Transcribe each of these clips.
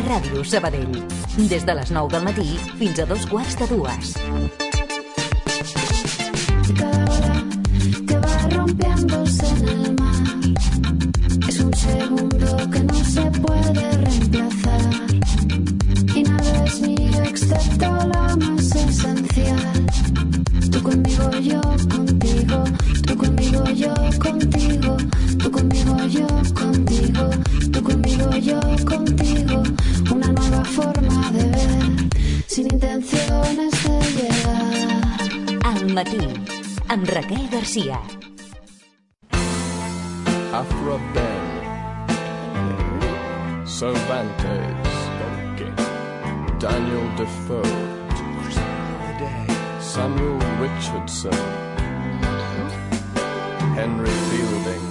Ràdio Sabadell. Des de les 9 del matí fins a 2:45. Cada ola que va rompiéndose en el mar es un segundo que no se puede reemplazar y nada es mío excepto la más esencial. Tú conmigo, yo contigo, tú conmigo, yo contigo, tú conmigo, yo contigo, tú conmigo, yo contigo. Una nueva forma de ver, sin intenciones de llegar. Al matí, amb Raquel Garcia. Afro Ben, Cervantes, Daniel Defoe, Samuel Richardson, Henry Fielding,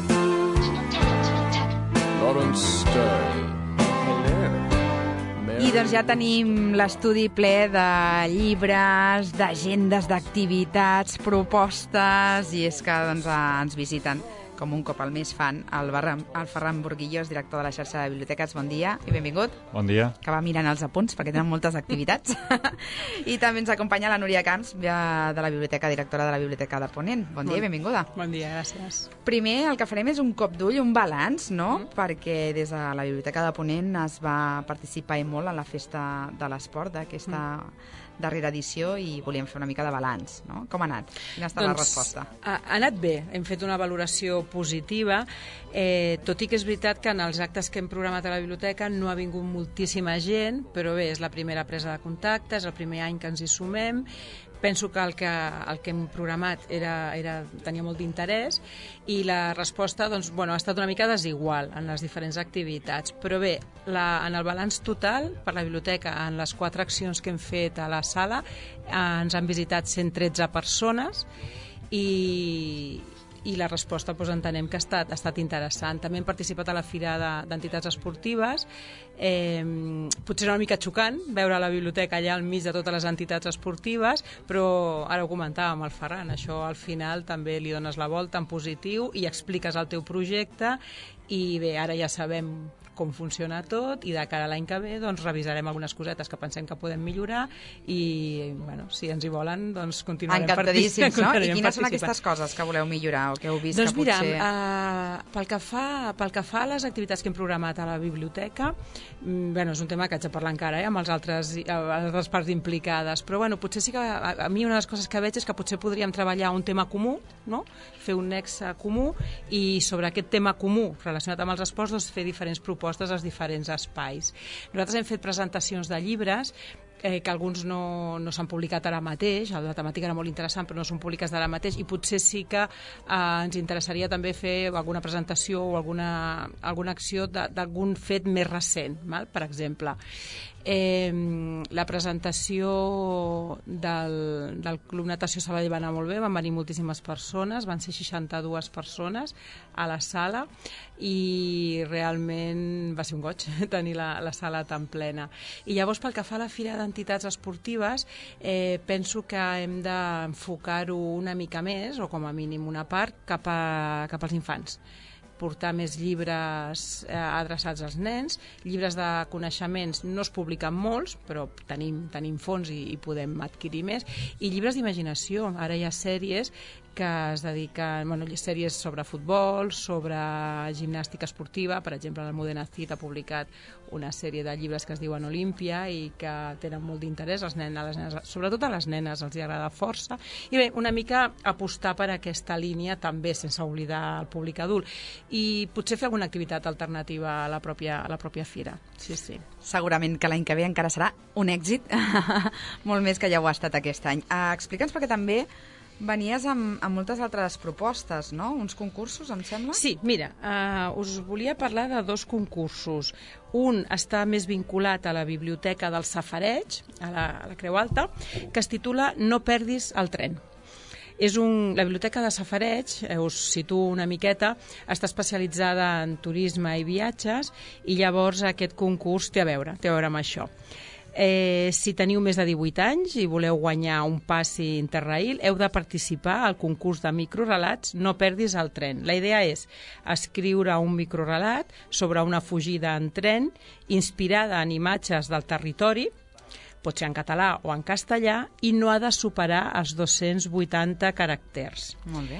Lawrence Stern. I doncs ja tenim l'estudi ple de llibres, d'agendes, d'activitats, propostes, i és que doncs, ens visiten, com un cop al mes fan, el Ferran Burguillós, director de la xarxa de biblioteques. Bon dia i benvingut. Bon dia. Que va mirant els apunts perquè tenen moltes activitats. I també ens acompanya la Núria Camps, de la biblioteca, directora de la Biblioteca de Ponent. Bon dia i benvinguda. Bon dia, gràcies. Primer, el que farem és un cop d'ull, un balanç, no? Perquè des de la Biblioteca de Ponent es va participar i molt a la Festa de l'Esport d'aquesta darrera edició i volíem fer una mica de balanç, no? Com ha anat? Quina ha estat la resposta? Ha anat bé, hem fet una valoració positiva, tot i que és veritat que en els actes que hem programat a la biblioteca no ha vingut moltíssima gent, però bé, és la primera presa de contacte, és el primer any que ens hi sumem. Penso que el que hem programat tenia molt d'interès i la resposta doncs, ha estat una mica desigual en les diferents activitats. Però bé, en el balanç total per la biblioteca, en les 4 accions que hem fet a la sala, ens han visitat 113 persones i la resposta entenem que ha estat interessant. També hem participat a la Fira d'Entitats Esportives. Potser era una mica xocant veure la biblioteca allà al mig de totes les entitats esportives, però ara ho comentàvem el Ferran, això al final també li dones la volta en positiu i expliques el teu projecte i bé, ara ja sabem com funciona tot i de cara a l'any que ve doncs revisarem algunes cosetes que pensem que podem millorar i si ens hi volen doncs continuarem participant. Encantadíssims, no? I quines són aquestes coses que voleu millorar o que heu vist doncs que potser... pel que fa a les activitats que hem programat a la biblioteca, és un tema que haig de parlar encara amb les altres parts implicades, però potser sí que a mi una de les coses que veig és que potser podríem treballar un tema comú, no? Fer un nexe comú i sobre aquest tema comú relacionat amb els esports fer diferents propostes als diferents espais. Nosaltres hem fet presentacions de llibres que alguns no s'han publicat ara mateix, la temàtica era molt interessant però no són públiques d'ara mateix i potser sí que ens interessaria també fer alguna presentació o alguna acció d'algun fet més recent, per exemple. La presentació del Club Natació Sabadell va anar molt bé, van venir moltíssimes persones, van ser 62 persones a la sala i realment va ser un goig tenir la sala tan plena. I llavors pel que fa a la Fira d'Entitats Esportives penso que hem d'enfocar-ho una mica més, o com a mínim una part, cap als infants. Portar més llibres adreçats als nens, llibres de coneixements no es publiquen molts, però tenim fons i podem adquirir més, i llibres d'imaginació. Ara hi ha sèries que es dediquen, sèries sobre futbol, sobre gimnàstica esportiva, per exemple l'Almudena Cid ha publicat una sèrie de llibres que es diuen Olímpia i que tenen molt d'interès, sobretot a les nenes els agrada força, i bé, una mica apostar per aquesta línia també sense oblidar el públic adult i potser fer alguna activitat alternativa a la pròpia fira. Sí. Segurament que l'any que ve encara serà un èxit, molt més que ja ho ha estat aquest any. Explica'ns, perquè també venies amb moltes altres propostes, no? Uns concursos, em sembla? Sí, mira, us volia parlar de 2 concursos. Un està més vinculat a la biblioteca del Safareig, a la Creu Alta, que es titula No perdis el tren. La biblioteca de Safareig, us situo una miqueta, està especialitzada en turisme i viatges i llavors aquest concurs té a veure amb això. Si teniu més de 18 anys i voleu guanyar un passi Interrail, heu de participar al concurs de microrelats No perdis el tren. La idea és escriure un microrelat sobre una fugida en tren inspirada en imatges del territori, pot ser en català o en castellà, i no ha de superar els 280 caràcters. Molt bé.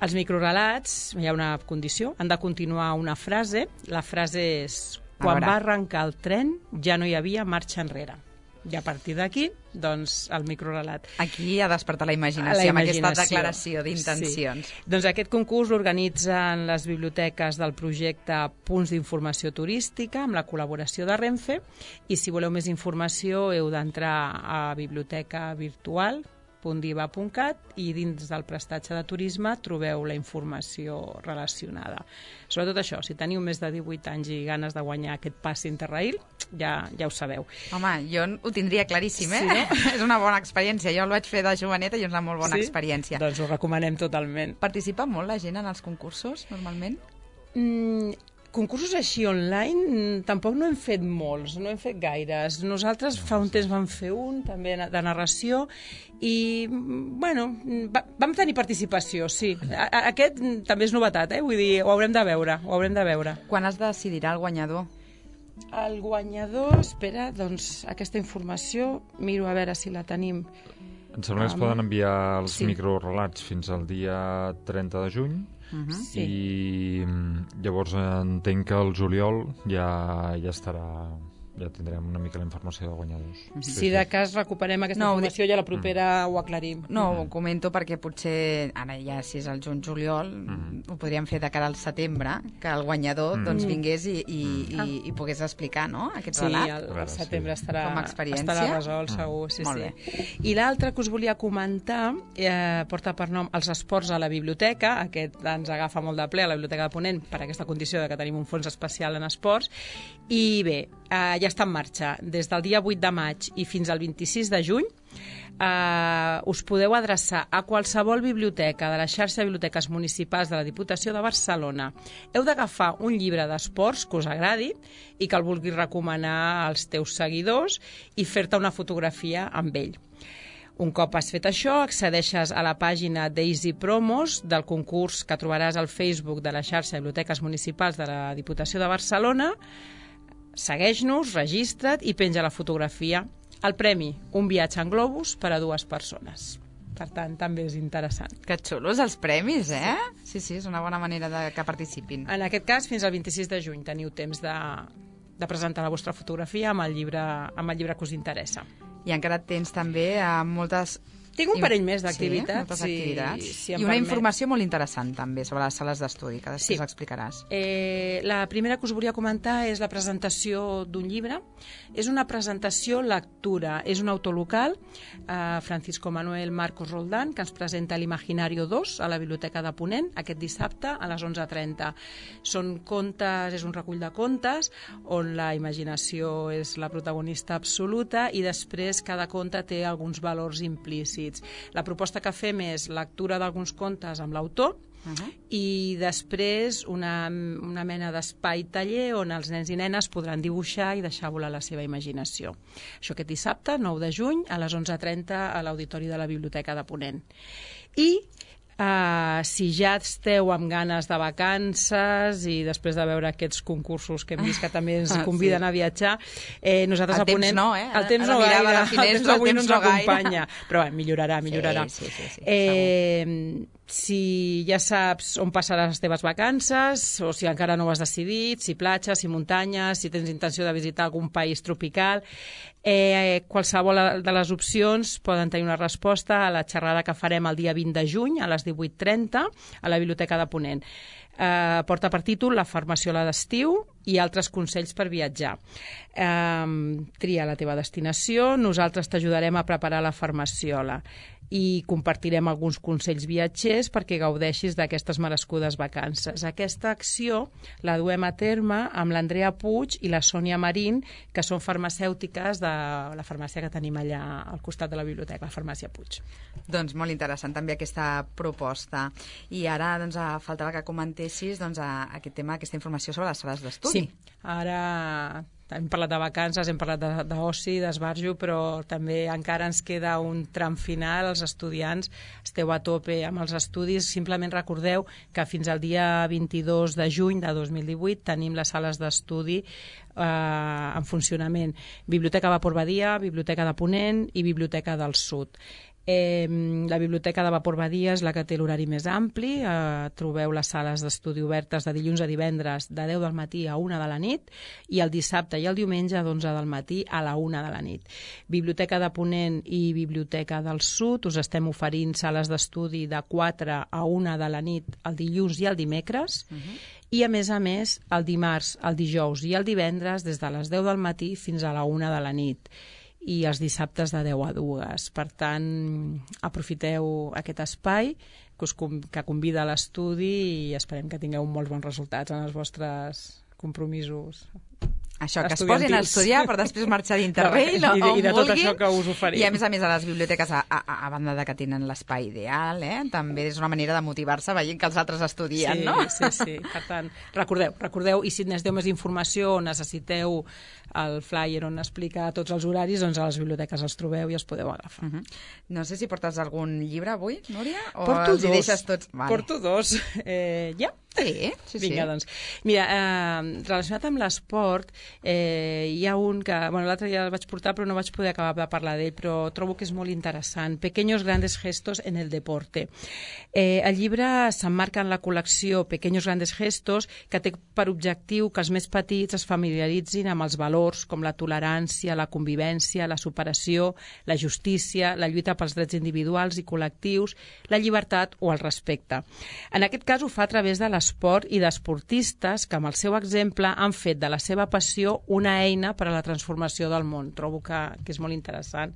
Els microrelats, hi ha una condició, han de continuar una frase. La frase és: quan va arrencar el tren ja no hi havia marxa enrere. I a partir d'aquí, doncs, el microrelat. Aquí ha despertat la imaginació, amb aquesta declaració d'intencions. Sí. Doncs aquest concurs l'organitzen les biblioteques del projecte Punts d'Informació Turística amb la col·laboració de Renfe, i si voleu més informació heu d'entrar a bibliotecavirtual.diva.cat i dins del prestatge de turisme trobeu la informació relacionada. Sobretot això, si teniu més de 18 anys i ganes de guanyar aquest passi Interrail, ja ho sabeu. Home, jo ho tindria claríssim, Sí, no? És una bona experiència. Jo el vaig fer de joveneta i és una molt bona experiència. Doncs ho recomanem totalment. Participa molt la gent en els concursos, normalment? Concursos així online tampoc no hem fet molts, no hem fet gaires. Nosaltres fa un temps vam fer un, també de narració, i, bueno, vam tenir participació, sí. Aquest també és novetat, vull dir, ho haurem de veure. Quan es decidirà el guanyador? El guanyador, espera, doncs aquesta informació, miro a veure si la tenim. Em sembla que es poden enviar els microrelats fins al dia 30 de juny, i llavors entenc que el juliol ja tindrem una mica la informació de guanyadors. Si de cas recuperem aquesta informació, ja la propera ho aclarim. No, ho comento perquè potser, ara ja si és el juny-juliol, ho podríem fer de cara al setembre, que el guanyador doncs vingués i pogués explicar, no?, aquest relat. Sí, al setembre estarà resolt, segur. Sí. I l'altre que us volia comentar porta per nom Els esports a la biblioteca. Aquest ens agafa molt de ple a la Biblioteca de Ponent per aquesta condició de que tenim un fons especial en esports. I bé, ja està en marxa. Des del dia 8 de maig i fins al 26 de juny us podeu adreçar a qualsevol biblioteca de la xarxa de biblioteques municipals de la Diputació de Barcelona. Heu d'agafar un llibre d'esports que us agradi i que el vulguis recomanar als teus seguidors i fer-te una fotografia amb ell. Un cop has fet això, accedeixes a la pàgina Daisy Promos del concurs que trobaràs al Facebook de la xarxa de biblioteques municipals de la Diputació de Barcelona. Segueix-nos, registra't i penja la fotografia. El premi, un viatge en globus per a 2 persones. Per tant, també és interessant. Que xulos els premis, eh? Sí, és una bona manera que participin. En aquest cas, fins al 26 de juny teniu temps de presentar la vostra fotografia amb el llibre que us interessa. I encara tens també moltes... Tinc un parell més d'activitats. Moltes activitats. Si I una informació molt interessant també sobre les sales d'estudi, que després explicaràs. La primera que us volia comentar és la presentació d'un llibre. És una presentació lectura. És un autor local, Francisco Manuel Marcos Roldán, que ens presenta l'Imaginario 2 a la Biblioteca de Ponent aquest dissabte a les 11:30. Són contes, és un recull de contes on la imaginació és la protagonista absoluta i després cada conte té alguns valors implícits. La proposta que fem és lectura d'alguns contes amb l'autor i després una mena d'espai taller on els nens i nenes podran dibuixar i deixar volar la seva imaginació. Això aquest dissabte, 9 de juny, a les 11:30 a l'Auditori de la Biblioteca de Ponent. I si ja esteu amb ganes de vacances i després de veure aquests concursos que hem vist que també ens conviden a viatjar, nosaltres a Ponent... El temps no gaire, el temps avui no ens acompanya, però millorarà. Sí. Si ja saps on passaràs les teves vacances, o si encara no ho has decidit, si platja, si muntanya, si tens intenció de visitar algun país tropical, qualsevol de les opcions poden tenir una resposta a la xerrada que farem el dia 20 de juny a les 18:30 a la Biblioteca de Ponent. Porta per títol La farmaciola d'estiu i altres consells per viatjar. Tria la teva destinació, nosaltres t'ajudarem a preparar la farmaciola i compartirem alguns consells viatgers perquè gaudeixis d'aquestes merescudes vacances. Aquesta acció la duem a terme amb l'Andrea Puig i la Sònia Marín, que són farmacèutiques de la farmàcia que tenim allà al costat de la biblioteca, la farmàcia Puig. Doncs molt interessant també aquesta proposta. I ara faltava que comentessis aquest tema, aquesta informació sobre les sales d'estudi. Sí, Ara hem parlat de vacances, hem parlat d'oci, d'esbarjo, però també encara ens queda un tram final. Els estudiants esteu a tope amb els estudis. Simplement recordeu que fins al dia 22 de juny de 2018 tenim les sales d'estudi en funcionament. Biblioteca Vapor Badia, Biblioteca de Ponent i Biblioteca del Sud. La Biblioteca de Vapor Badia és la que té l'horari més ampli. Trobeu les sales d'estudi obertes de dilluns a divendres de 10 del matí a 1 de la nit i el dissabte i el diumenge d'11 del matí a la 1 de la nit. Biblioteca de Ponent i Biblioteca del Sud us estem oferint sales d'estudi de 4 a 1 de la nit el dilluns i el dimecres i a més, el dimarts, el dijous i el divendres des de les 10 del matí fins a la 1 de la nit i els dissabtes de 10 a 2. Per tant, aprofiteu aquest espai que convida a l'estudi i esperem que tingueu molts bons resultats en els vostres compromisos. Això, que es posin a estudiar per després marxar d'Interrail i de tot això que us oferim. I a més, a les biblioteques, a banda de que tenen l'espai ideal, també és una manera de motivar-se veient que els altres estudien, no? Sí. Per tant, recordeu, i si necessiteu més informació o necessiteu el flyer on explica tots els horaris, doncs a les biblioteques els trobeu i els podeu agafar. No sé si portes algun llibre avui, Núria? O Porto els hi deixes tots? Vale. Porto dos. Ja? Sí. Vinga, doncs. Mira, relacionat amb l'esport, hi ha un que, l'altre ja el vaig portar però no vaig poder acabar de parlar d'ell, però trobo que és molt interessant. Pequeños grandes gestos en el deporte. El llibre s'emmarca en la col·lecció Pequeños grandes gestos, que té per objectiu que els més petits es familiaritzin amb els valors com la tolerància, la convivència, la superació, la justícia, la lluita pels drets individuals i col·lectius, la llibertat o el respecte. En aquest cas ho fa a través de l'esport i d'esportistes que amb el seu exemple han fet de la seva passió una eina per a la transformació del món. Trobo que és molt interessant.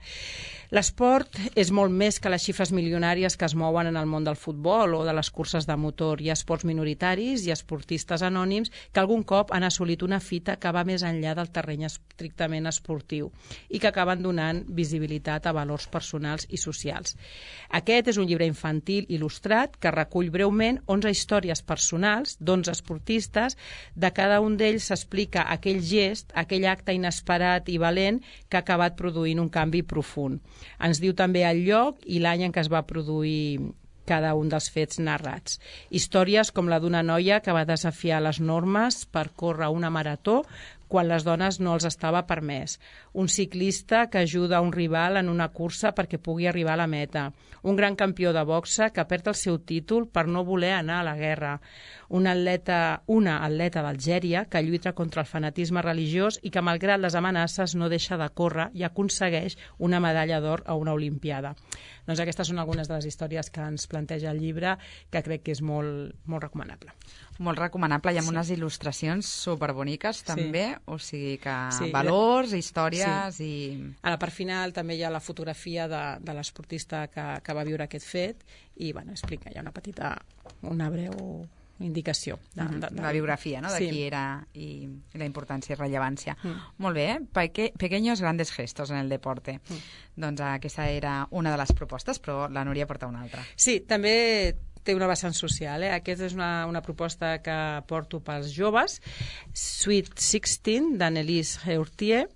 L'esport és molt més que les xifres milionàries que es mouen en el món del futbol o de les curses de motor. Hi ha esports minoritaris i esportistes anònims que algun cop han assolit una fita que va més enllà del terreny estrictament esportiu i que acaben donant visibilitat a valors personals i socials. Aquest és un llibre infantil il·lustrat que recull breument 11 històries personals d'11 esportistes. De cada un d'ells s'explica aquell gest, aquell acte inesperat i valent que ha acabat produint un canvi profund. Ens diu també el lloc i l'any en què es va produir cada un dels fets narrats. Històries com la d'una noia que va desafiar les normes per córrer una marató quan les dones no els estava permès. Un ciclista que ajuda un rival en una cursa perquè pugui arribar a la meta. Un gran campió de boxa que perd el seu títol per no voler anar a la guerra. Una atleta d'Algèria que lluita contra el fanatisme religiós i que, malgrat les amenaces, no deixa de córrer i aconsegueix una medalla d'or a una olimpiada. Doncs aquestes són algunes de les històries que ens planteja el llibre, que crec que és molt, molt recomanable. Molt recomanable, i amb unes il·lustracions superboniques també, o sigui que valors, històries i... A la part final també hi ha la fotografia de l'esportista que va viure aquest fet i explica, hi ha una breu indicació. La biografia, no?, de qui era i la importància i rellevància. Molt bé, pequeños grandes gestos en el deporte. Doncs aquesta era una de les propostes, però la Núria porta una altra. Sí, també té una vessant social. Aquesta és una proposta que porto pels joves, Sweet 16, d'Annelise Heurtier.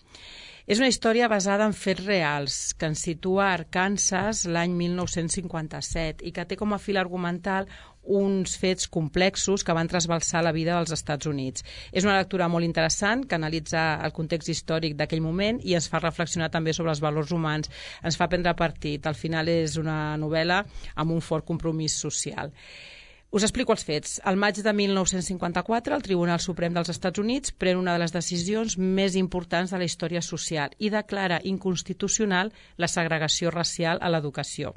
És una història basada en fets reals, que ens situa a Arkansas l'any 1957 i que té com a fil argumental uns fets complexos que van trasbalsar la vida dels Estats Units. És una lectura molt interessant que analitza el context històric d'aquell moment i ens fa reflexionar també sobre els valors humans. Ens fa prendre partit. Al final és una novel·la amb un fort compromís social. Us explico els fets. Al maig de 1954, el Tribunal Suprem dels Estats Units pren una de les decisions més importants de la història social i declara inconstitucional la segregació racial a l'educació.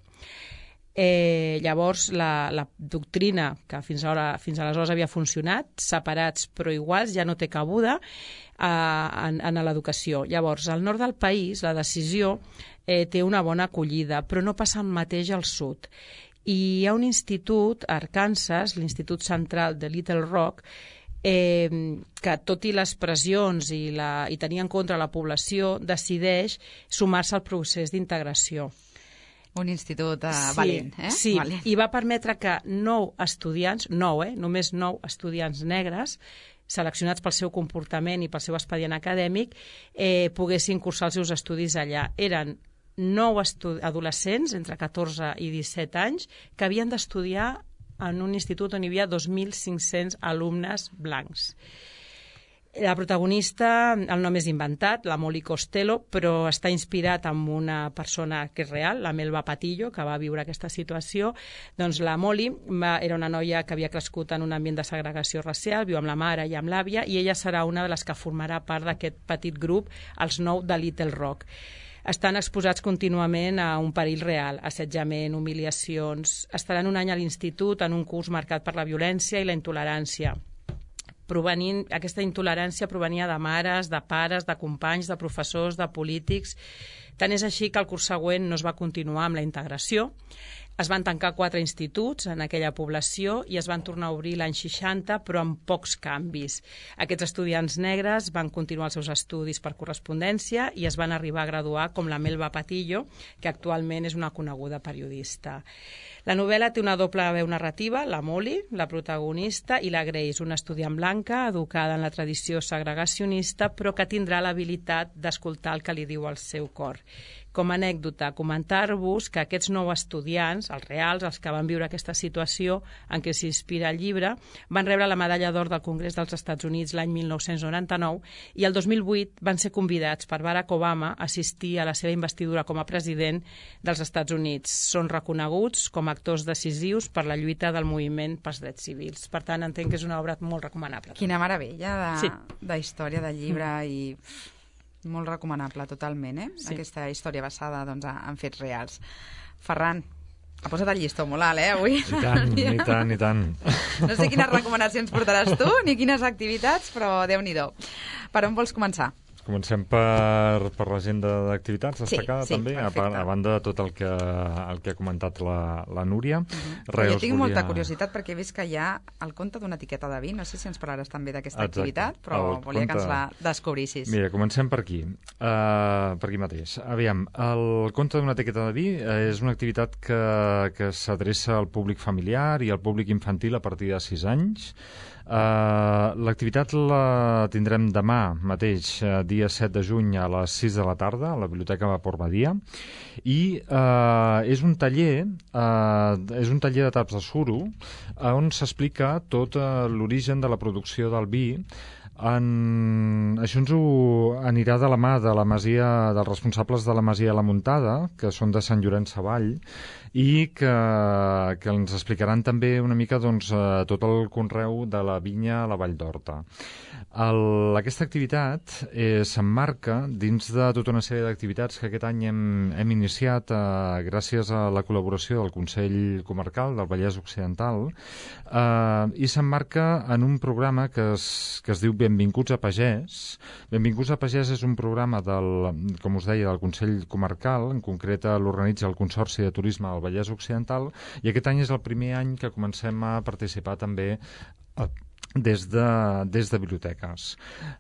Llavors, la doctrina que fins aleshores havia funcionat, separats però iguals, ja no té cabuda en l'educació. Llavors, al nord del país, la decisió té una bona acollida, però no passa el mateix al sud. I hi ha un institut a Arkansas, l'Institut Central de Little Rock, que tot i les pressions i tenir en compte la població, decideix sumar-se al procés d'integració. Un institut valent, Sí, valent. I va permetre que 9 estudiants, només 9 estudiants negres, seleccionats pel seu comportament i pel seu expedient acadèmic, poguessin cursar els seus estudis allà. Eren 9 adolescents entre 14 i 17 anys que havien d'estudiar en un institut on hi havia 2.500 alumnes blancs. La protagonista, el nom és inventat, la Molly Costello, però està inspirat en una persona que és real, la Melba Patillo, que va viure aquesta situació. Doncs la Molly era una noia que havia crescut en un ambient de segregació racial, viu amb la mare i amb l'àvia, i ella serà una de les que formarà part d'aquest petit grup, els 9 de Little Rock. Estan exposats contínuament a un perill real, assetjament, humiliacions. Estaran un any a l'institut en un curs marcat per la violència i la intolerància. Aquesta intolerància provenia de mares, de pares, de companys, de professors, de polítics. Tant és així que el curs següent no es va continuar amb la integració. Es van tancar 4 instituts en aquella població i es van tornar a obrir l'any 60, però amb pocs canvis. Aquests estudiants negres van continuar els seus estudis per correspondència i es van arribar a graduar com la Melba Patillo, que actualment és una coneguda periodista. La novel·la té una doble veu narrativa, la Molly, la protagonista, i la Grace, una estudiant blanca educada en la tradició segregacionista, però que tindrà l'habilitat d'escoltar el que li diu el seu cor. Com a anècdota, comentar-vos que aquests 9 estudiants, els reals, els que van viure aquesta situació en què s'inspira el llibre, van rebre la medalla d'or del Congrés dels Estats Units l'any 1999 i el 2008 van ser convidats per Barack Obama a assistir a la seva investidura com a president dels Estats Units. Són reconeguts com a actors decisius per la lluita del moviment pels drets civils. Per tant, entenc que és una obra molt recomanable. Quina meravella de història, de llibre i... Molt recomanable, totalment, Sí. Aquesta història basada en fets reals. Ferran, ha posat el llistó molt alt, avui? I tant. No sé quines recomanacions portaràs tu, ni quines activitats, però Déu-n'hi-do. Per on vols començar? Comencem per l'agenda d'activitats destacada, també, perfecte. a banda de tot el que ha comentat la Núria. Jo tinc molta curiositat perquè he vist que hi ha el conte d'una etiqueta de vi. No sé si ens parlaràs també d'aquesta activitat, però volia que ens la descobrissis. Mira, comencem per aquí. Per aquí mateix. Aviam, el conte d'una etiqueta de vi és una activitat que s'adreça al públic familiar i al públic infantil a partir de 6 anys. L'activitat la tindrem demà mateix, dia 7 de juny a les 6 de la tarda a la Biblioteca Vapor Badia, i és un taller de taps de suro on s'explica tot l'origen de la producció del vi. Això ens ho anirà de la mà de la masia, dels responsables de la Masia La Muntada, que són de Sant Llorenç Savall, i que ens explicaran també una mica tot el conreu de la vinya a la Vall d'Horta. Aquesta activitat s'emmarca dins de tota una sèrie d'activitats que aquest any hem iniciat gràcies a la col·laboració del Consell Comarcal del Vallès Occidental, i s'emmarca en un programa que es diu Benvinguts a Pagès. Benvinguts a Pagès és un programa com us deia, del Consell Comarcal, en concret l'organitza el Consorci de Turisme del Vallès Occidental, i aquest any és el primer any que comencem a participar també des de biblioteques.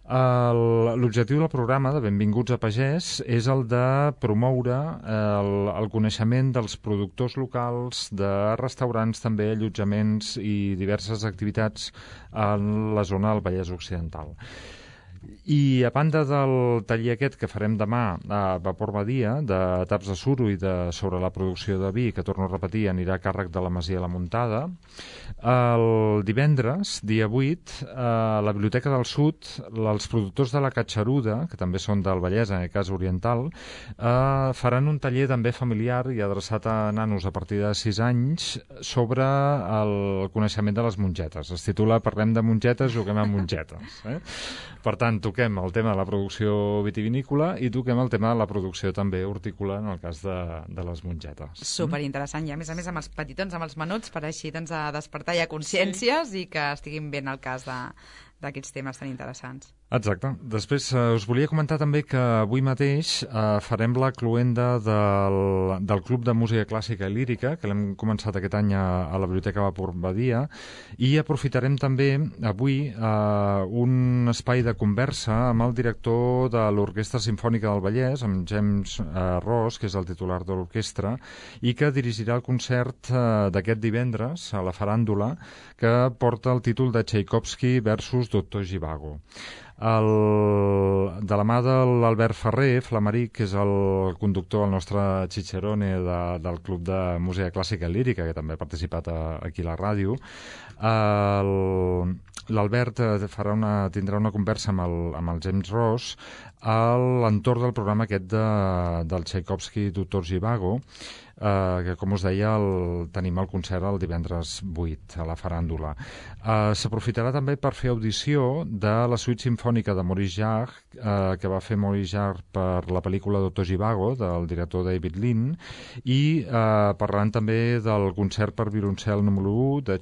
L'objectiu del programa de Benvinguts a Pagès és el de promoure el coneixement dels productors locals, de restaurants també, allotjaments i diverses activitats en la zona del Vallès Occidental. I a banda del taller aquest que farem demà a Vapor Badia, de taps de suro i sobre la producció de vi, que torno a repetir, anirà a càrrec de la Masia La Muntada, el divendres, dia 8, a la Biblioteca del Sud, els productors de la Catxaruda, que també són del Vallès, en aquest cas oriental, faran un taller també familiar i adreçat a nanos a partir de 6 anys sobre el coneixement de les mongetes. Es titula Parlem de mongetes, juguem amb mongetes. Per tant, toquem el tema de la producció vitivinícola i toquem el tema de la producció també hortícola en el cas de les mongetes. Superinteressant, i a més amb els petitons, amb els menuts, per així a despertar ja consciències i que estiguin ben al cas d'aquests temes tan interessants. Exacte. Després us volia comentar també que avui mateix farem la cloenda del Club de Música Clàssica i Lírica, que l'hem començat aquest any a la Biblioteca Vapor Badia, i aprofitarem també avui un espai de conversa amb el director de l'Orquestra Simfònica del Vallès, amb James Ross, que és el titular de l'orquestra, i que dirigirà el concert d'aquest divendres a la faràndula, que porta el títol de Tchaikovsky versus Dr. Zhivago. De la mà de l'Albert Ferrer, Flamaric, que és el conductor, el nostre Cicerone del Club de Música Clàssica i Lírica, que també ha participat aquí a la ràdio, l'Albert tindrà una conversa amb el James Ross a l'entorn del programa aquest del Tchaikovsky Dr. Zhivago, que, com us deia, tenim el concert el divendres 8 a la Faràndula. S'aprofitarà també per fer audició de la suite simfònica de Maurice Jarre, que va fer Maurice Jarre per la pel·lícula Dr. Zhivago, del director David Lean, i parlaran també del concert per violoncel número 1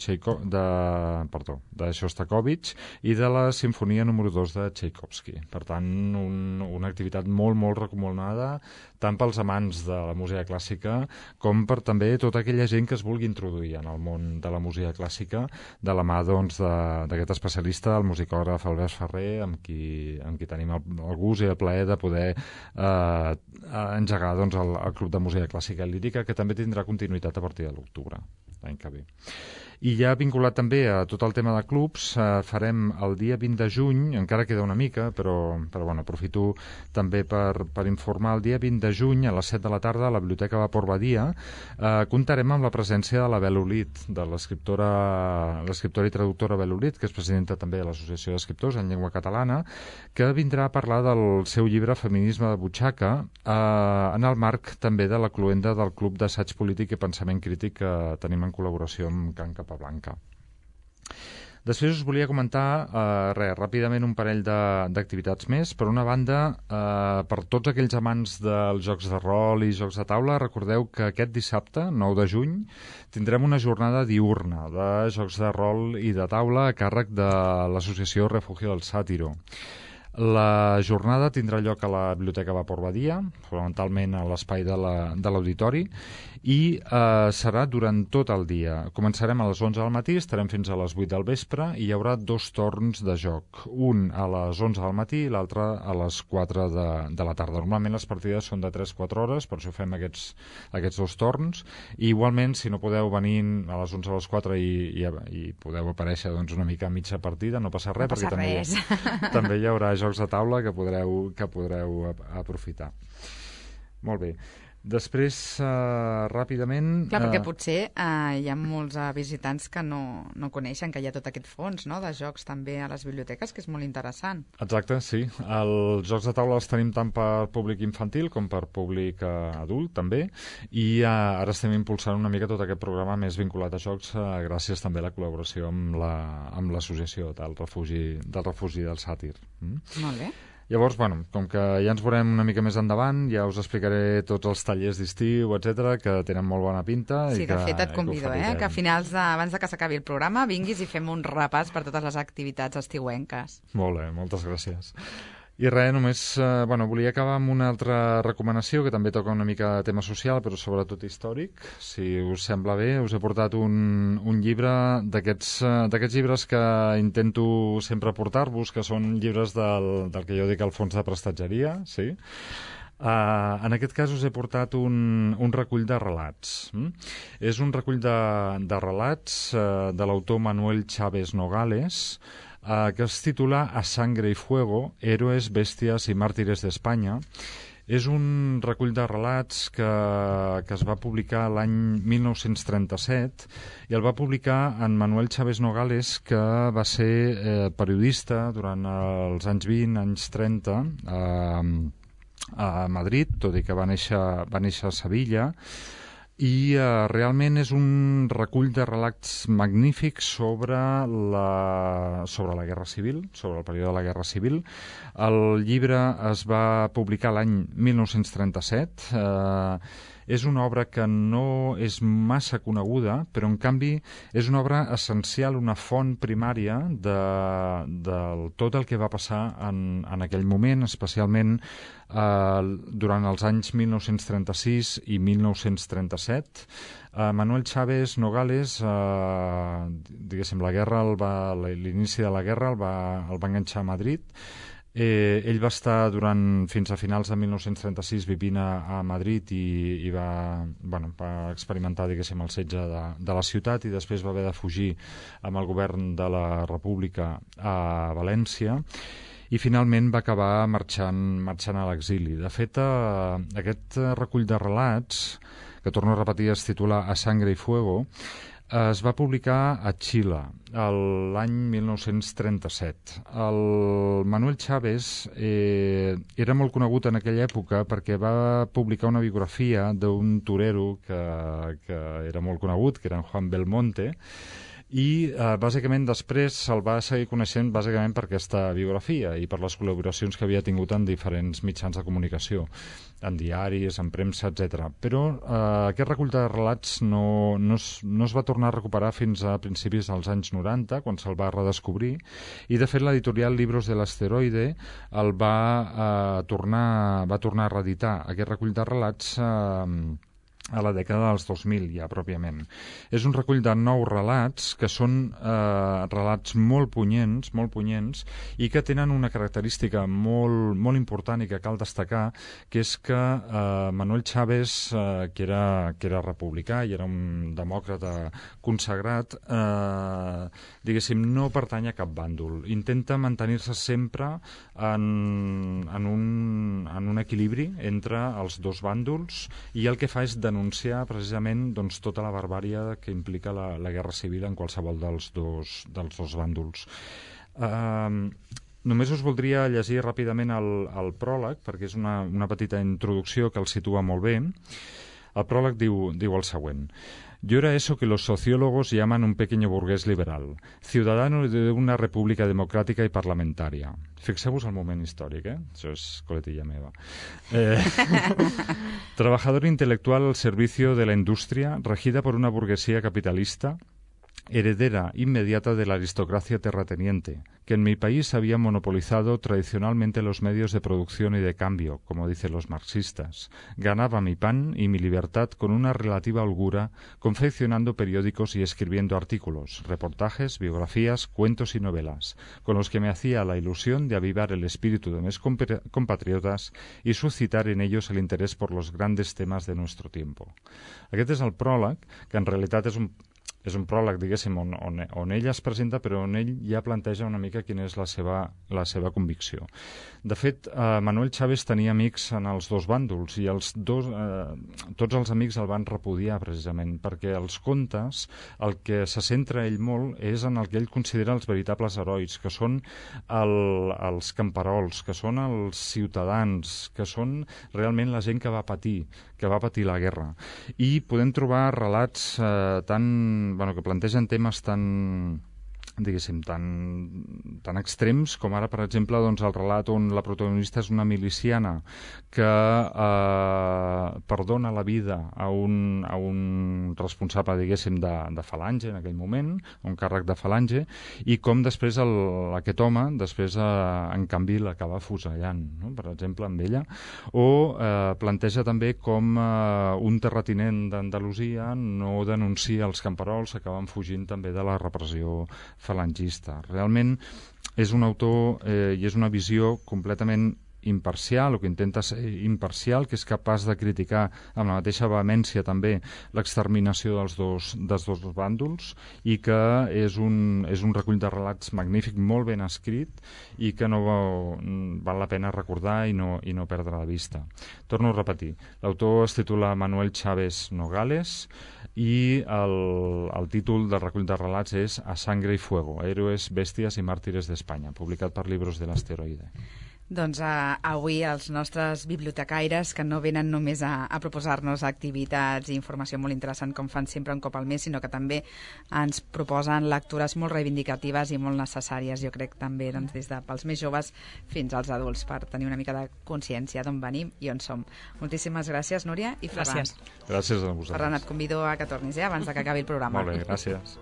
de Shostakovich i de la sinfonia número 2 de Tchaikovsky. Per tant, una activitat molt, molt recomanada, tant pels amants de la música clàssica com per també tota aquella gent que es vulgui introduir en el món de la música clàssica, de la mà d'aquest especialista, el musicògraf Albert Ferrer, amb qui tenim el gust i el plaer de poder engegar el Club de Música Clàssica i Lírica, que també tindrà continuïtat a partir de l'octubre, l'any que ve. I ja vinculat també a tot el tema de clubs, farem el dia 20 de juny, encara queda una mica, però bueno, aprofito també per informar, el dia 20 de juny a les 7 de la tarda a la Biblioteca Vapor Badia comptarem amb la presència de la Bel Olit, de l'escriptora i traductora Bel Olit, que és presidenta també de l'Associació d'Escriptors en Llengua Catalana, que vindrà a parlar del seu llibre Feminisme de butxaca, en el marc també de la cloenda del Club d'Assaig Polític i Pensament Crític que tenim en col·laboració amb Can Capablanca. Després us volia comentar ràpidament un parell d'activitats més. Per una banda, per tots aquells amants dels jocs de rol i jocs de taula, recordeu que aquest dissabte, 9 de juny, tindrem una jornada diurna de jocs de rol i de taula a càrrec de l'associació Refugio del Sàtiro. La jornada tindrà lloc a la Biblioteca Vapor Badia, fonamentalment a l'espai de l'auditori, i serà durant tot el dia. Començarem a les 11 del matí, estarem fins a les 8 del vespre i hi haurà 2 torns de joc, un a les 11 del matí i l'altre a les 4 de la tarda. Normalment les partides són de 3-4 hores, per això fem aquests 2 torns, i igualment si no podeu venir a les 11 a les 4 i podeu aparèixer una mica a mitja partida, no passa res, perquè també hi haurà jocs de taula que podreu aprofitar. Molt bé. Després, ràpidament... Clar, perquè potser hi ha molts visitants que no coneixen que hi ha tot aquest fons, no?, de jocs també a les biblioteques, que és molt interessant. Exacte, sí. Els jocs de taula els tenim tant per públic infantil com per públic adult, també, i ara estem impulsant una mica tot aquest programa més vinculat a jocs gràcies també a la col·laboració amb l'associació del refugi del Sàtir. Molt bé. Llavors, bueno, com que ja ens veurem una mica més endavant, ja us explicaré tots els tallers d'estiu, etc, que tenen molt bona pinta. Sí, de fet et convido, que a finals abans de que s'acabi el programa vinguis i fem un repàs per totes les activitats estiuenques. Molt bé, moltes gràcies. I res, només volia acabar amb una altra recomanació que també toca una mica de tema social, però sobretot històric. Si us sembla bé, us he portat un llibre d'aquests llibres que intento sempre portar-vos, que són llibres del que jo dic el fons de prestatgeria, sí? En aquest cas us he portat un recull de relats. És un recull de relats de l'autor Manuel Chávez Nogales, que es titula A Sangre y Fuego, Héroes, Bèsties i Màrtires d'Espanya. És un recull de relats que es va publicar l'any 1937 i el va publicar en Manuel Chávez Nogales, que va ser periodista durant els anys 20, anys 30 a Madrid, tot i que va néixer a Sevilla, i realment és un recull de relats magnífics sobre la Guerra Civil, sobre el període de la Guerra Civil. El llibre es va publicar l'any 1937. És una obra que no és massa coneguda, però en canvi és una obra essencial, una font primària de tot el que va passar en aquell moment, especialment durant els anys 1936 i 1937. Manuel Chávez Nogales, diguéssim, l'inici de la guerra el va enganxar a Madrid, Ell va estar fins a finals de 1936 vivint a Madrid i va experimentar, diguéssim, el setge de la ciutat, i després va haver de fugir amb el govern de la República a València, i finalment va acabar marxant a l'exili. De fet, aquest recull de relats, que torno a repetir, es titula A Sangre y Fuego, es va publicar a Xile l'any 1937. El Manuel Chávez era molt conegut en aquella època perquè va publicar una biografia d'un torero que era molt conegut, que era en Juan Belmonte, i bàsicament després se'l va seguir coneixent bàsicament per aquesta biografia i per les col·laboracions que havia tingut en diferents mitjans de comunicació, en diaris, en premsa, etc. Però aquest recull de relats no es va tornar a recuperar fins a principis dels anys 90, quan se'l va redescobrir, i de fet l'editorial Libros del Asteroide el va tornar a reeditar, aquest recull de relats, a la dècada dels 2000, ja pròpiament. És un recull de 9 relats que són relats molt punyents, i que tenen una característica molt important i que cal destacar, que és que Manuel Chávez, que era republicà i era un demòcrata consagrat, diguéssim, no pertany a cap bàndol. Intenta mantenir-se sempre en un equilibri entre els dos bàndols, i el que fa és denunciar precisament tota la barbàrie que implica la guerra civil en qualsevol dels dos bàndols. Només us voldria llegir ràpidament el pròleg, perquè és una petita introducció que el situa molt bé. El pròleg diu el següent. Yo era eso que los sociólogos llaman un pequeño burgués liberal, ciudadano de una república democrática y parlamentaria. Fixeu-vos el moment històric, Això és coletilla meva. Trabajador intelectual al servicio de la industria, regida por una burguesía capitalista, heredera inmediata de la aristocracia terrateniente, que en mi país había monopolizado tradicionalmente los medios de producción y de cambio, como dicen los marxistas. Ganaba mi pan y mi libertad con una relativa holgura, confeccionando periódicos y escribiendo artículos, reportajes, biografías, cuentos y novelas, con los que me hacía la ilusión de avivar el espíritu de mis compatriotas y suscitar en ellos el interés por los grandes temas de nuestro tiempo. Aquest és el pròleg, que en realitat és un pròleg, diguéssim, on ell es presenta, però on ell ja planteja una mica quina és la seva convicció. De fet, Manuel Chávez tenia amics en els dos bàndols, i tots els amics el van repudiar, precisament, perquè els contes, el que se centra ell molt és en el que ell considera els veritables herois, que són els camperols, que són els ciutadans, que són realment la gent que va patir la guerra. I podem trobar relats que plantegen temes tan extrems com ara, per exemple, el relat on la protagonista és una miliciana que perdona la vida a un responsable, diguéssim, de falange en aquell moment, un càrrec de falange, i com després aquest home en canvi l'acaba afusellant, no? Per exemple, amb ella. O planteja també com un terratinent d'Andalusia no denuncia els camperols, acaben fugint també de la repressió falangista. Realment és un autor i és una visió completament imparcial, o que intenta ser imparcial, que és capaç de criticar amb la mateixa vehemència també l'exterminació dels dos bàndols, i que és un recull de relats magnífic, molt ben escrit, i que no val la pena recordar i no perdre de vista. Torno a repetir, l'autor es titula Manuel Chávez Nogales, i el títol del recull de relats és A Sangre y Fuego, Héroes, Bèsties i Màrtires d'Espanya, publicat per Libros del Asteroide. Doncs avui els nostres bibliotecaires, que no venen només a proposar-nos activitats i informació molt interessant, com fan sempre un cop al mes, sinó que també ens proposen lectures molt reivindicatives i molt necessàries, jo crec, també des de pels més joves fins als adults, per tenir una mica de consciència d'on venim i on som. Moltíssimes gràcies, Núria i Ferran. Gràcies. Gràcies a vosaltres. Ferran, et convido a que tornis abans que acabi el programa. Molt bé, gràcies.